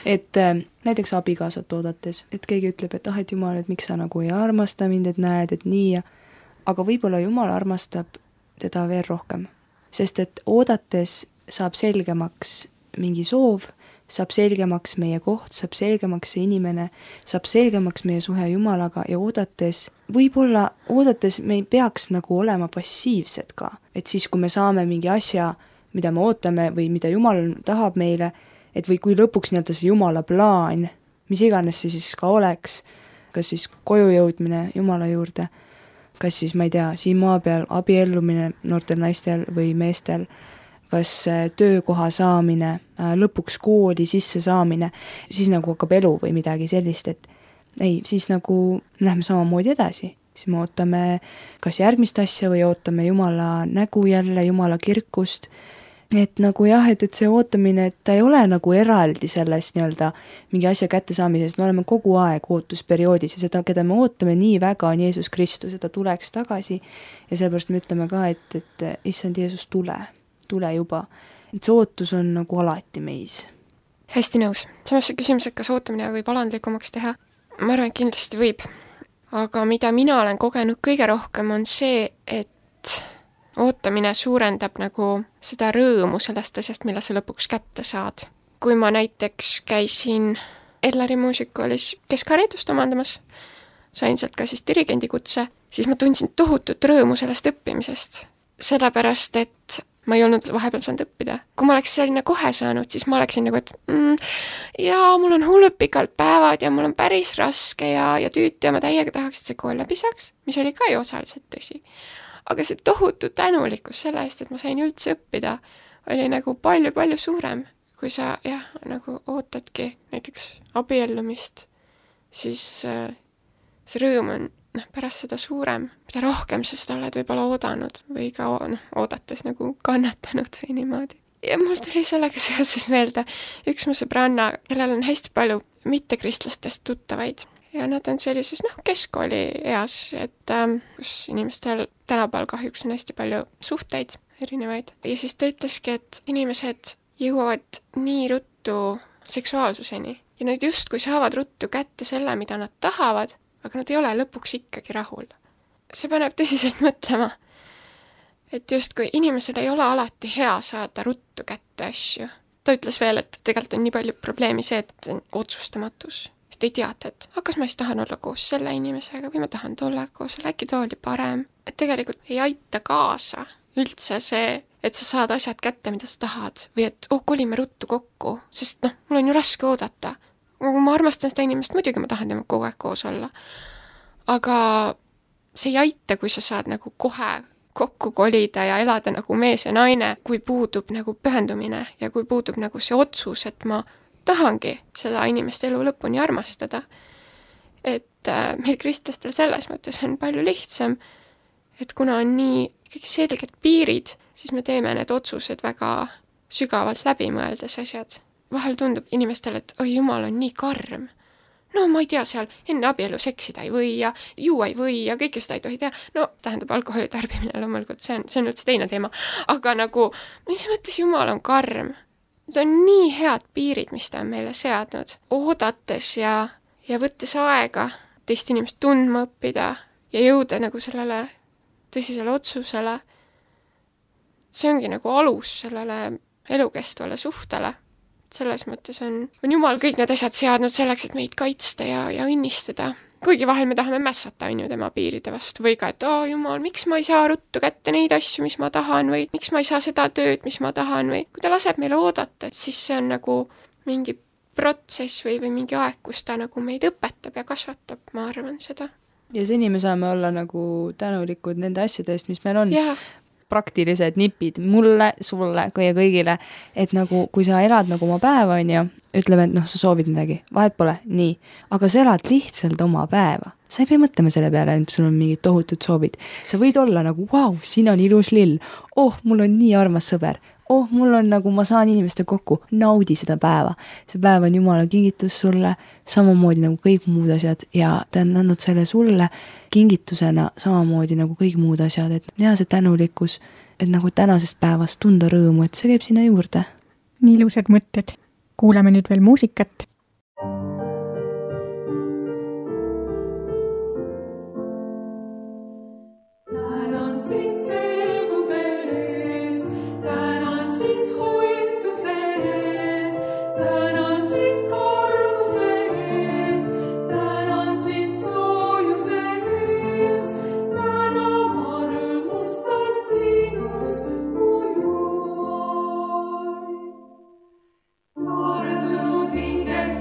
Et näiteks abikaasat oodates, et keegi ütleb, et et Jumal, et miks sa nagu ei armasta mind, et näed, et nii ja aga võib-olla Jumal armastab teda veel rohkem, sest et oodates saab selgemaks mingi soov, saab selgemaks meie koht, saab selgemaks see inimene, saab selgemaks meie suhe Jumalaga ja oodates, võib-olla oodates me ei peaks nagu olema passiivsed ka, et siis kui me saame mingi asja, mida me ootame või mida Jumal tahab meile, et või kui lõpuks nii-öelda see Jumala plaan, mis iganes see siis ka oleks, kas siis koju jõudmine Jumala juurde, kas siis, ma ei tea, siin maa peal abiellumine noortel naistel või meestel, kas töökoha saamine, lõpuks kooli sisse saamine, siis nagu hakkab elu või midagi sellist, et ei, siis nagu lähme samamoodi edasi. Siis me ootame kas järgmist asja või ootame Jumala nägu jälle, Jumala kirkust. Et nagu jah, et see ootamine, et ta ei ole nagu eraldi sellest nii-öelda mingi asja kätte saamisest, me oleme kogu aeg ootusperioodis ja seda, keda me ootame nii väga, on Jeesus Kristus, et ta tuleks tagasi ja sellepärast me ütleme ka, et issand Jeesus, tule juba. Et see ootus on nagu alati meis. Hästi nõus. Samas see küsimus, et kas ootamine võib alandlikumaks teha, ma arvan, et kindlasti võib. Aga mida mina olen kogenud kõige rohkem on see, et ootamine suurendab nagu seda rõõmu sellest asjast, mille sa lõpuks kätte saad. Kui ma näiteks käisin Ellari muusikoolis keskharidust omandamas, sain sealt ka siis dirigendikutse, siis ma tundsin tohutut rõõmu sellest õppimisest. Sellepärast, et ma ei olnud vahepeal saanud õppida. Kui ma oleks selline kohe saanud, siis ma oleksin nagu, et jaa, mul on hullud pikalt päevad ja mul on päris raske ja tüütu ja ma täiega tahaks, et see kool läbi saaks, mis oli ka ju osaliselt tõsi. Aga see tohutu tänulikkus selle eest, et ma sain üldse õppida, oli nagu palju-palju suurem. Kui sa nagu ootadki näiteks abiellumist, siis see rõõm on pärast seda suurem, mida rohkem sa seda oled võib-olla oodanud või ka oodates nagu kannatanud või niimoodi. Ja mul tuli sellega seoses meelde üks mu sõbranna, kellel on hästi palju mittekristlastest tuttavaid ja nad on sellises keskkooli eas, et kus inimestel tänapäeval kahjuks on hästi palju suhteid erinevaid. Ja siis ta ütleski, et inimesed jõuavad nii ruttu seksuaalsuseni ja nad justkui saavad ruttu kätte selle, mida nad tahavad, aga nad ei ole lõpuks ikkagi rahul. See paneb tõsiselt mõtlema, et justkui inimesel ei ole alati hea saada ruttu kätte asju. Ta ütles veel, et tegelikult on nii palju probleemi see, et on otsustamatus. Et ei teata, et kas ma siis tahan olla koos selle inimesega või ma tahan tolle koos, äkki too oli parem. Et tegelikult ei aita kaasa üldse see, et sa saad asjad kätte, mida sa tahad. Või et kolime ruttu kokku, sest mul on ju raske oodata. Kui ma armastan seda inimest, muidugi ma tahan tema kogu aeg koos olla. Aga see ei aita, kui sa saad nagu kohe kokku kolida ja elada nagu mees ja naine, kui puudub nagu pühendumine ja kui puudub nagu see otsus, et ma tahangi seda inimest elu lõpuni armastada. Et meil kristlastel selles mõttes on palju lihtsam, et kuna on nii ikkagi selged piirid, siis me teeme need otsused väga sügavalt läbi mõeldes asjad. Vahel tundub inimestele, et oi, Jumal on nii karm. No ma ei tea, seal enne abielu seksida ei või ja juua ei või ja kõike seda ei tohi teha. No tähendab alkoholi tarbimine loomulikult, see on üldse teine teema. Aga nagu, mis mõttes Jumal on karm? See on nii head piirid, mis ta on meile seadnud. Oodates ja võttes aega teist inimest tundma õppida ja jõuda nagu sellele tõsisele otsusele. See ongi nagu alus sellele elukestvale suhtele. Selles mõttes on Jumal kõik need asjad seadnud selleks, et meid kaitsta ja õnnistada. Kuigi vahel me tahame mässata on ju tema piiride vastu või ka, et Jumal, miks ma ei saa ruttu kätte neid asju, mis ma tahan või miks ma ei saa seda tööd, mis ma tahan või kui ta laseb meile oodata, siis see on nagu mingi protsess või mingi aeg, kus ta nagu meid õpetab ja kasvatab, ma arvan seda. Ja seni me saame olla nagu tänulikud nende asjade eest, mis meil on. Ja. Praktilised nipid mulle, sulle ja kõigile, et nagu kui sa elad nagu oma päeva on ja ütleme, et sa soovid midagi, vahet pole, nii, aga sa elad lihtsalt oma päeva. Sa ei pea mõtlema selle peale, et sul on mingid tohutud soovid. Sa võid olla nagu, vau, siin on ilus lill, mul on nii armas sõber, mul on nagu, ma saan inimeste kokku, naudi seda päeva. See päev on Jumala kingitus sulle, samamoodi nagu kõik muud asjad ja ta on andnud selle sulle kingitusena samamoodi nagu kõik muud asjad, et see tänulikkus, et nagu tänasest päevast tunda rõõmu, et see käib sinna juurde. Nii ilusad mõtted. Kuulame nüüd veel muusikat. Noordunud hinges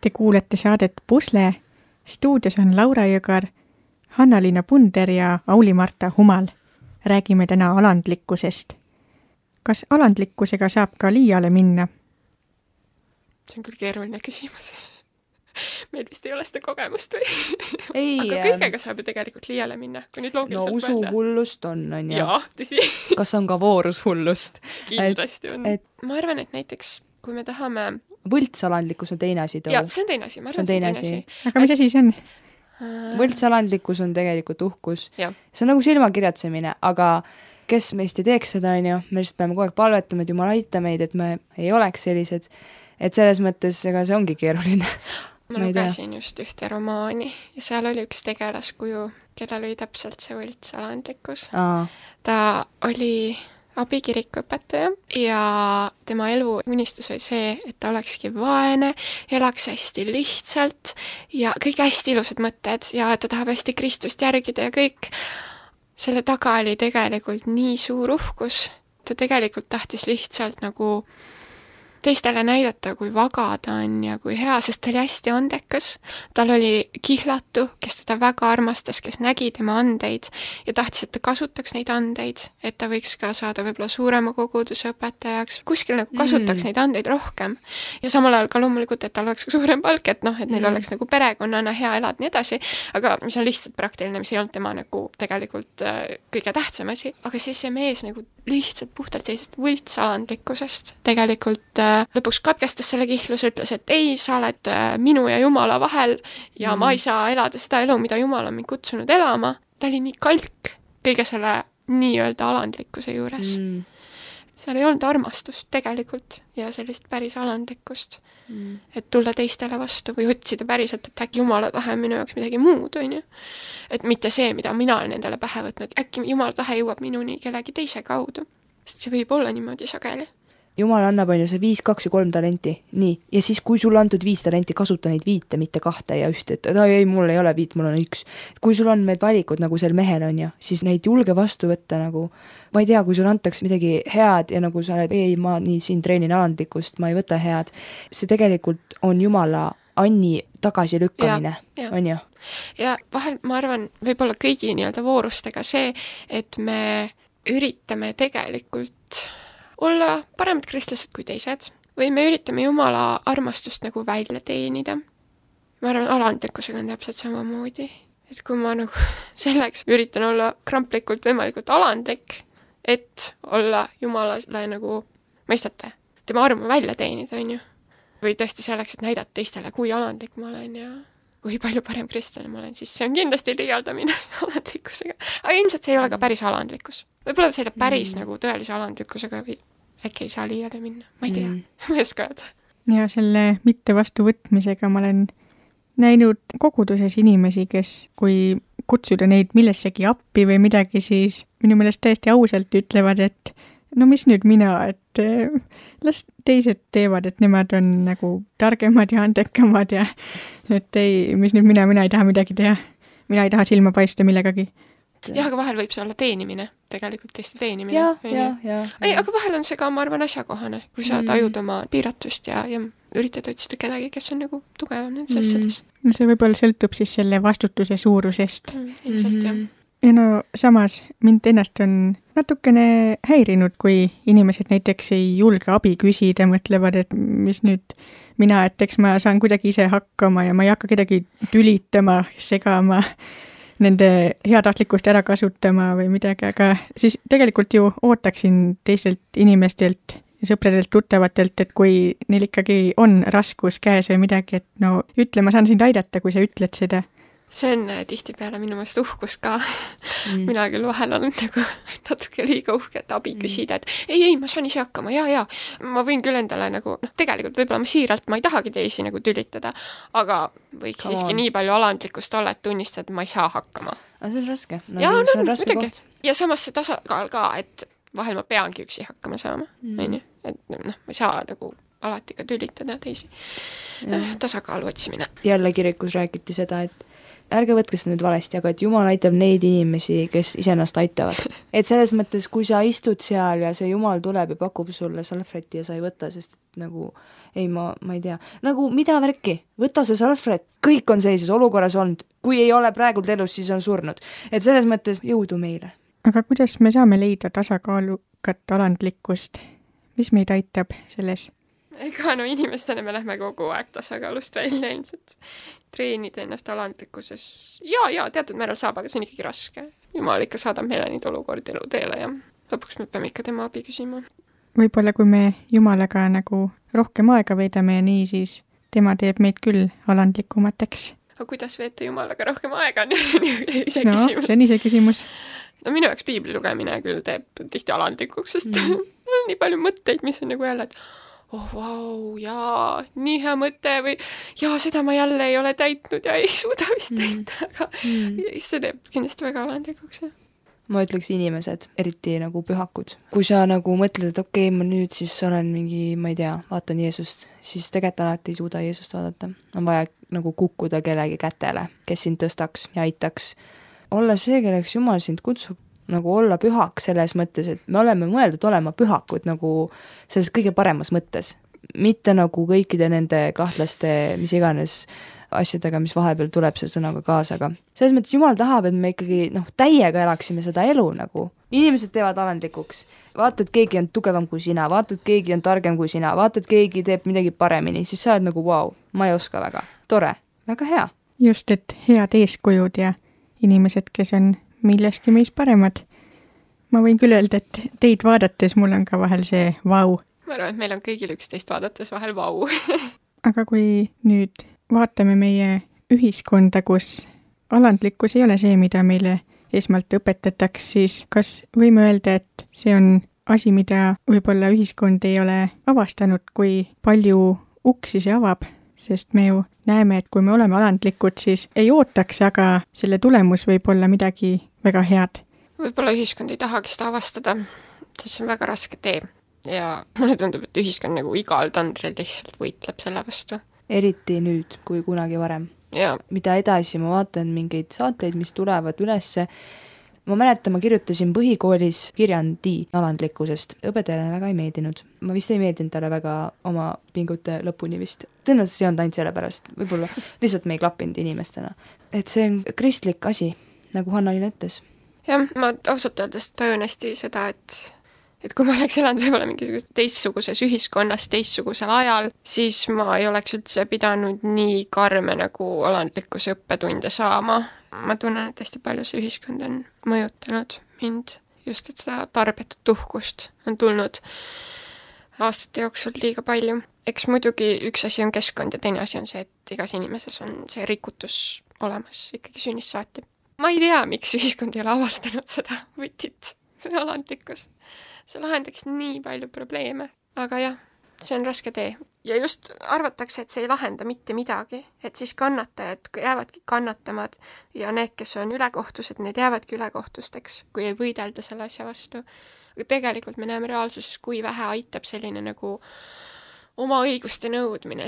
Te kuulete saadet Pusle. Stuudios on Laura Jõgar, Hanna-Liina Punder ja Auli-Marta Humal. Räägime täna alandlikkusest. Kas alandlikkusega saab ka liiale minna? See on küll keeruline küsimus. Meil vist ei ole seda kogemust või? Ei, aga kõigega saab ju tegelikult liiale minna, kui nüüd no loogiliselt usuhullust on ju. Jaa, tõsi. Kas on ka voorushullust? Kindlasti on. Ma arvan, et näiteks, kui me tahame... Võltsalandlikkus on teine asi. Jaa, see on teine asi. Ma arvan, see on teine asi. Aga mis asi see on? Võltsalandlikkus on tegelikult uhkus. Ja. See on nagu silmakirjatsemine, aga kes meist ei teeks seda, on ju, me lihtsalt peame kogu aeg palvetama, et Jumal aita meid, et me ei oleks sellised, et selles mõttes, ega see ongi keeruline. Ma lugesin just ühte romaani ja seal oli üks tegelaskuju, kellel oli täpselt see võltsalandlikkus. Ta oli abikirikuõpetaja ja tema elu unistus oli see, et ta olekski vaene, elaks hästi lihtsalt ja kõik hästi ilusad mõtted ja ta tahab hästi Kristust järgida ja kõik. Selle taga oli tegelikult nii suur uhkus. Ta tegelikult tahtis lihtsalt nagu teistele näidata, kui vaga ta on ja kui hea, sest ta oli hästi andekas. Tal oli kihlatu, kes teda väga armastas, kes nägi tema andeid ja tahtis, et ta kasutaks neid andeid, et ta võiks ka saada võib-olla suurema koguduse õpetajaks, kuskil nagu kasutaks neid andeid rohkem. Ja samal ajal ka loomulikult, et tal oleks ka suurem palk, et noh, et neil oleks nagu perekonnana hea elada nii edasi, aga mis on lihtsalt praktiline, mis ei olnud tema nagu tegelikult kõige tähtsam asi. Aga siis see mees nagu lihtsalt puhtalt sellisest võltsalandlikkusest tegelikult lõpuks katkestas selle kihluse, ütles, et ei, sa oled minu ja Jumala vahel ja ma ei saa elada seda elu, mida Jumal on mind kutsunud elama. Ta oli nii kalk kõige selle nii-öelda alandlikkuse juures. Seal ei olnud armastust tegelikult ja sellist päris alandlikkust. Et tulla teistele vastu või otsida päriselt, et äkki Jumala tahe minu jaoks midagi muud, on ju. Et mitte see, mida mina olen endale pähe võtnud, äkki Jumala tahe jõuab minuni kellegi teise kaudu. Sest see võib olla niimoodi sageli. Jumal annab on ju see 5, 2 ja 3 talenti, nii. Ja siis, kui sul antud 5 talenti, kasuta neid 5, mitte 2 ja 1, et ei, mul ei ole 5, mul on 1. Kui sul on need valikud nagu sel mehel on ju, siis neid julge vastu võtta nagu, ma ei tea, kui sul antakse midagi head ja nagu sa oled, ei, ma nii siin treenin alandlikkust, ma ei võta head. See tegelikult on Jumala Anni tagasilükkamine, on ju? Ja vahel, ma arvan, võib-olla kõigi nii-öelda voorustega see, et me üritame tegelikult olla paremad kristlased kui teised või me üritame Jumala armastust nagu välja teenida. Ma arvan, alandlikkusega on täpselt samamoodi. Et kui ma nagu selleks üritan olla kramplikult võimalikult alandlik, et olla Jumalale nagu, mõistate, tema armu välja teenida, on ju. Või tõesti selleks, et näidata teistele, kui alandlik ma olen ja kui palju parem kristlane ma olen, siis see on kindlasti liialdamine alandlikkusega. Aga ilmselt see ei ole ka päris alandlikkus. Võib-olla selle päris nagu tõelise alandlikkusega või äkki ei saa liiale minna. Ma ei tea, ma ei oska öelda. Ja selle mitte vastuvõtmisega ma olen näinud koguduses inimesi, kes kui kutsuda neid millessegi appi või midagi, siis minu meelest täiesti ausalt ütlevad, et no mis nüüd mina, et las teised teevad, et nemad on nagu targemad ja andekamad ja et ei, mis nüüd mina ei taha midagi teha. Mina ei taha silma paista millegagi. Jah, aga vahel võib see olla teenimine, tegelikult teiste teenimine. Ei, aga vahel on see ka, ma arvan, asjakohane, kui sa tajud oma piiratust ja üritad otsida kedagi, kes on nagu tugevam nendes asjades. No see võib-olla sõltub siis selle vastutuse suurusest. Ilmselt, jah. Ja no samas mind ennast on natukene häirinud, kui inimesed näiteks ei julge abi küsida, mõtlevad, et mis nüüd mina, et eks ma saan kuidagi ise hakkama ja ma ei hakka kedagi tülitama, segama, nende heatahtlikkust ära kasutama või midagi, aga siis tegelikult ju ootaksin teistelt inimestelt, sõpradelt, tuttavatelt, et kui neil ikkagi on raskus käes või midagi, et no ütle, ma saan sind aidata, kui sa ütled seda. See on tihtipeale minu meelest uhkus ka. Mina küll vahel olen nagu natuke liiga uhke, et abi küsida, et ei, ma saan ise hakkama, ja. Ma võin küll endale nagu, tegelikult võib-olla ma siiralt, ma ei tahagi teisi nagu tülitada, aga võiks siiski nii palju alandlikkust olla, et tunnistada, et ma ei saa hakkama. Aga see on raske. See on raske koht. Ja samas see tasakaal ka, et vahel ma peangi üksi hakkama saama. Et ma ei saa nagu alati ka tülitada teisi. Tasakaalu otsimine. Jälle kirikus räägiti seda, et ärge võtke seda nüüd valesti, aga et Jumal aitab neid inimesi, kes iseennast aitavad. et selles mõttes, kui sa istud seal ja see Jumal tuleb ja pakub sulle salvrätti ja sa ei võta, sest nagu ei, ma ei tea, nagu mida värki, võta see salvrätt, kõik on sellises olukorras olnud, kui ei ole praegult elus, siis on surnud. Et selles mõttes jõudu meile. Aga kuidas me saame leida tasakaalukat alandlikkust? Mis meid aitab selles? Ega no inimestena me lähme kogu aeg tasakaalust välja ilmselt. Treenida ennast alandlikkuses. Ja teatud määral saab, aga see on ikkagi raske. Jumal ikka saadab meile neid olukordi eluteele ja lõpuks me peame ikka tema abi küsima. Võib-olla kui me Jumalaga nagu rohkem aega veedame ja nii, siis tema teeb meid küll alandlikumateks. Aga kuidas veeta Jumalaga rohkem aega? Ise küsimus. See on ise küsimus. No minu jaoks piibli lugemine küll teeb tihti alandlikuks, sest on nii palju mõtteid, mis on nagu jälle, et vau, jaa, nii hea mõte või jaa, seda ma jälle ei ole täitnud ja ei suuda vist täita, aga see teeb kindlasti väga alandlikuks. Ma ütleks inimesed, eriti nagu pühakud. Kui sa nagu mõtled, et okei, ma nüüd siis olen mingi, ma ei tea, vaatan Jeesust, siis tegelikult alati ei suuda Jeesust vaadata. On vaja nagu kukkuda kellegi kätele, kes sind tõstaks ja aitaks. Olla see, kelleks Jumal sind kutsub, nagu olla pühaks selles mõttes, et me oleme mõeldud olema pühakud nagu selles kõige paremas mõttes. Mitte nagu kõikide nende kahtlaste, mis iganes asjadega, mis vahepeal tuleb see sõnaga kaasa, aga selles mõttes Jumal tahab, et me ikkagi täiega elaksime seda elu nagu. Inimesed teevad alandlikuks. Vaatad, keegi on tugevam kui sina, vaatad, keegi on targem kui sina, vaatad, keegi teeb midagi paremini, siis sa oled nagu vau, ma ei oska väga. Tore, väga hea. Just, et head eeskujud ja inimesed, kes on milleski meis paremad. Ma võin küll öelda, et teid vaadates mul on ka vahel see vau. Ma arvan, et meil on kõigil üksteist vaadates vahel vau. Aga kui nüüd vaatame meie ühiskonda, kus alandlikkus ei ole see, mida meile esmalt õpetataks, siis kas võime öelda, et see on asi, mida võib-olla ühiskond ei ole avastanud, kui palju uksi see avab, sest me ju näeme, et kui me oleme alandlikud, siis ei ootaks, aga selle tulemus võib olla midagi väga head. Võib-olla ühiskond ei tahagi seda avastada, sest see on väga raske tee. Ja mulle tundub, et ühiskond nagu igal tandril lihtsalt võitleb selle vastu. Eriti nüüd, kui kunagi varem. Ja. Mida edasi, ma vaatan mingeid saateid, mis tulevad ülesse. Ma mäletan, ma kirjutasin põhikoolis kirjandi alandlikkusest. Õpetajale väga ei meeldinud. Ma vist ei meeldinud talle väga oma pingute lõpuni vist. Tõenäoliselt see on ainult selle pärast. Võib-olla lihtsalt me ei klappinud inimestena. Et see on kristlik asi, nagu Hanna-Liina ütles. Jah, ma ausalt öeldes tajun hästi seda, et kui ma oleks elanud võib-olla mingisugust teistsuguses ühiskonnas, teistsugusel ajal, siis ma ei oleks üldse pidanud nii karme nagu alandlikkuse õppetunde saama. Ma tunnen, et hästi palju see ühiskond on mõjutanud mind. Just, et seda tarbetut tuhkust on tulnud aastate jooksul liiga palju. Eks muidugi üks asi on keskkond ja teine asi on see, et igas inimeses on see rikutus olemas ikkagi sünnist saati. Ma ei tea, miks ühiskond ei ole avastanud seda võtit, see alandlikkus. See lahendaks nii palju probleeme, aga jah, see on raske tee. Ja just arvatakse, et see ei lahenda mitte midagi, et siis kannatajad jäävadki kannatamad ja need, kes on ülekohtused, need jäävadki ülekohtusteks, kui ei võidelda selle asja vastu. Aga tegelikult me näeme reaalsuses, kui vähe aitab selline nagu oma õiguste nõudmine,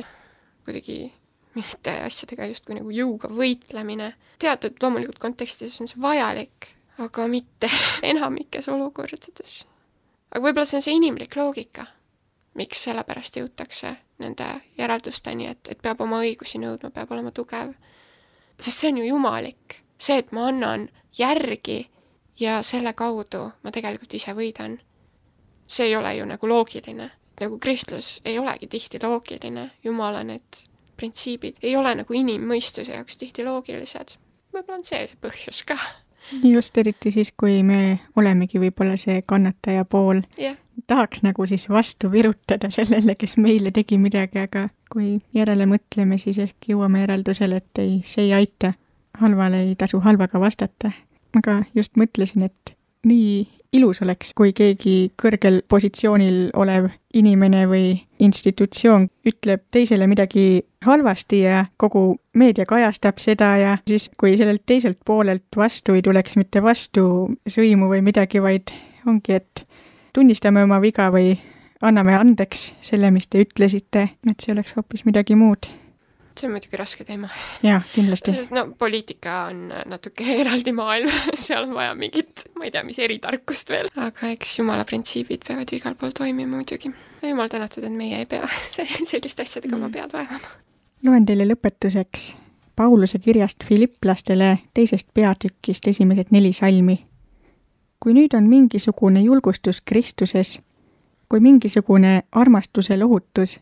kuidagi mitte asjadega just kui nagu jõuga võitlemine. Teatud loomulikult kontekstis on see vajalik, aga mitte enamikes olukordades. Aga võib-olla see on see inimlik loogika, miks sellepärast jõutakse nende järeldusteni, et peab oma õigusi nõudma, peab olema tugev. Sest see on ju jumalik. See, et ma annan järgi ja selle kaudu ma tegelikult ise võidan. See ei ole ju nagu loogiline. Nagu kristlus ei olegi tihti loogiline. Jumala need printsiibid ei ole nagu inimmõistuse jaoks tihti loogilised. Võib-olla on see põhjus ka. Just eriti siis, kui me olemegi võib-olla see kannataja pool. Yeah. Tahaks nagu siis vastu virutada sellele, kes meile tegi midagi, aga kui järele mõtleme, siis ehk jõuame järeldusele, et see ei aita. Halvale ei tasu halvaga vastata. Aga just mõtlesin, et nii ilus oleks, kui keegi kõrgel positsioonil olev inimene või institutsioon ütleb teisele midagi halvasti ja kogu meedia kajastab seda ja siis, kui sellelt teiselt poolelt vastu ei tuleks mitte vastu sõimu või midagi, vaid ongi, et tunnistame oma viga või anname andeks selle, mis te ütlesite, et see oleks hoopis midagi muud. see on muidugi raske teema. jah, kindlasti. Sest poliitika on natuke eraldi maailm, seal on vaja mingit, ma ei tea, mis eritarkust veel. Aga eks jumala printsiibid peavad ju igal pool toimima muidugi. Jumal tänatud, et meie ei pea selliste asjadega oma pead vaevama. Loen teile lõpetuseks Pauluse kirjast Filipplastele 2. peatükist esimesed 4 salmi. Kui nüüd on mingisugune julgustus Kristuses, kui mingisugune armastuse lohutus,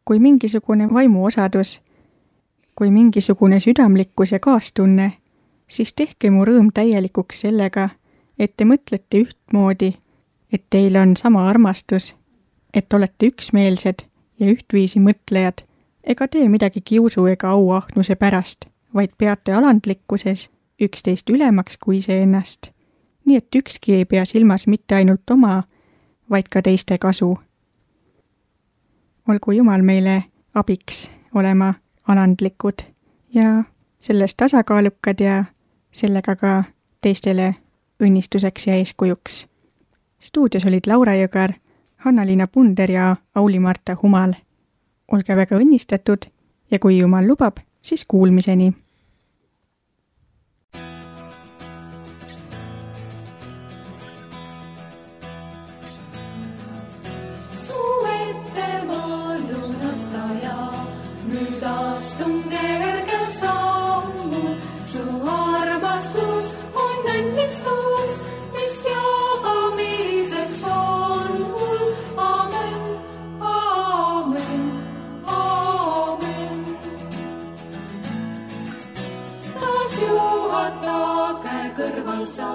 kui mingisugune vaimuosadus, kui mingisugune südamlikkus ja kaastunne, siis tehke mu rõõm täielikuks sellega, et te mõtlete ühtmoodi, et teil on sama armastus, et olete üksmeelsed ja ühtviisi mõtlejad, ega tee midagi kiusu ega auahnuse pärast, vaid peate alandlikkuses üksteist ülemaks kui iseennast, nii et ükski ei pea silmas mitte ainult oma, vaid ka teiste kasu. Olgu Jumal meile abiks olema alandlikud ja selles tasakaalukad ja sellega ka teistele õnnistuseks ja eeskujuks. Stuudios olid Laura Jõgar, Hanna-Liina Punder ja Auli-Marta Humal. Olge väga õnnistatud ja kui Jumal lubab, siis kuulmiseni. Nüüd astun kergel sammul, su armastus on õnnistus, mis jagamiseks on mul. Amen, amen, amen. Taas juhatage kõrval sa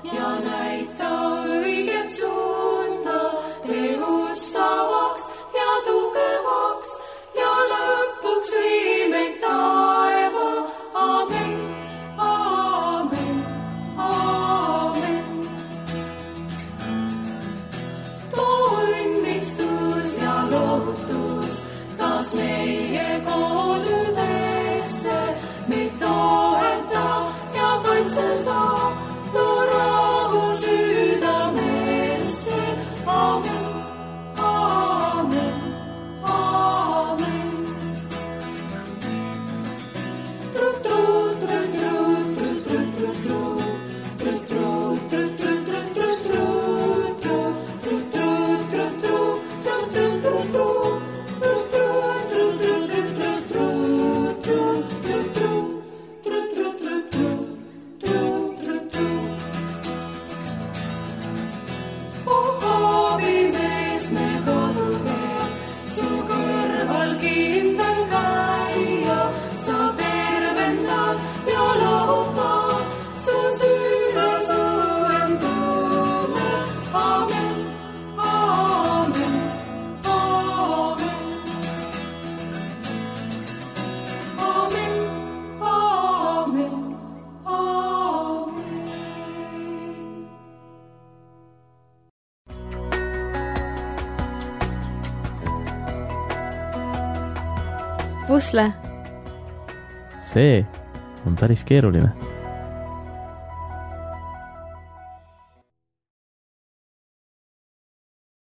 ja näita õiget suunda, tegustavaks ja tugevaks ja lõpuks vii meid taeva. Amen, amen, amen. Too õnnistus ja lohutus taas meie kodudesse, meid toeta ja kaitse saab, loo rahu südamesse. Amen, amen, amen. Pusle. See on päris keeruline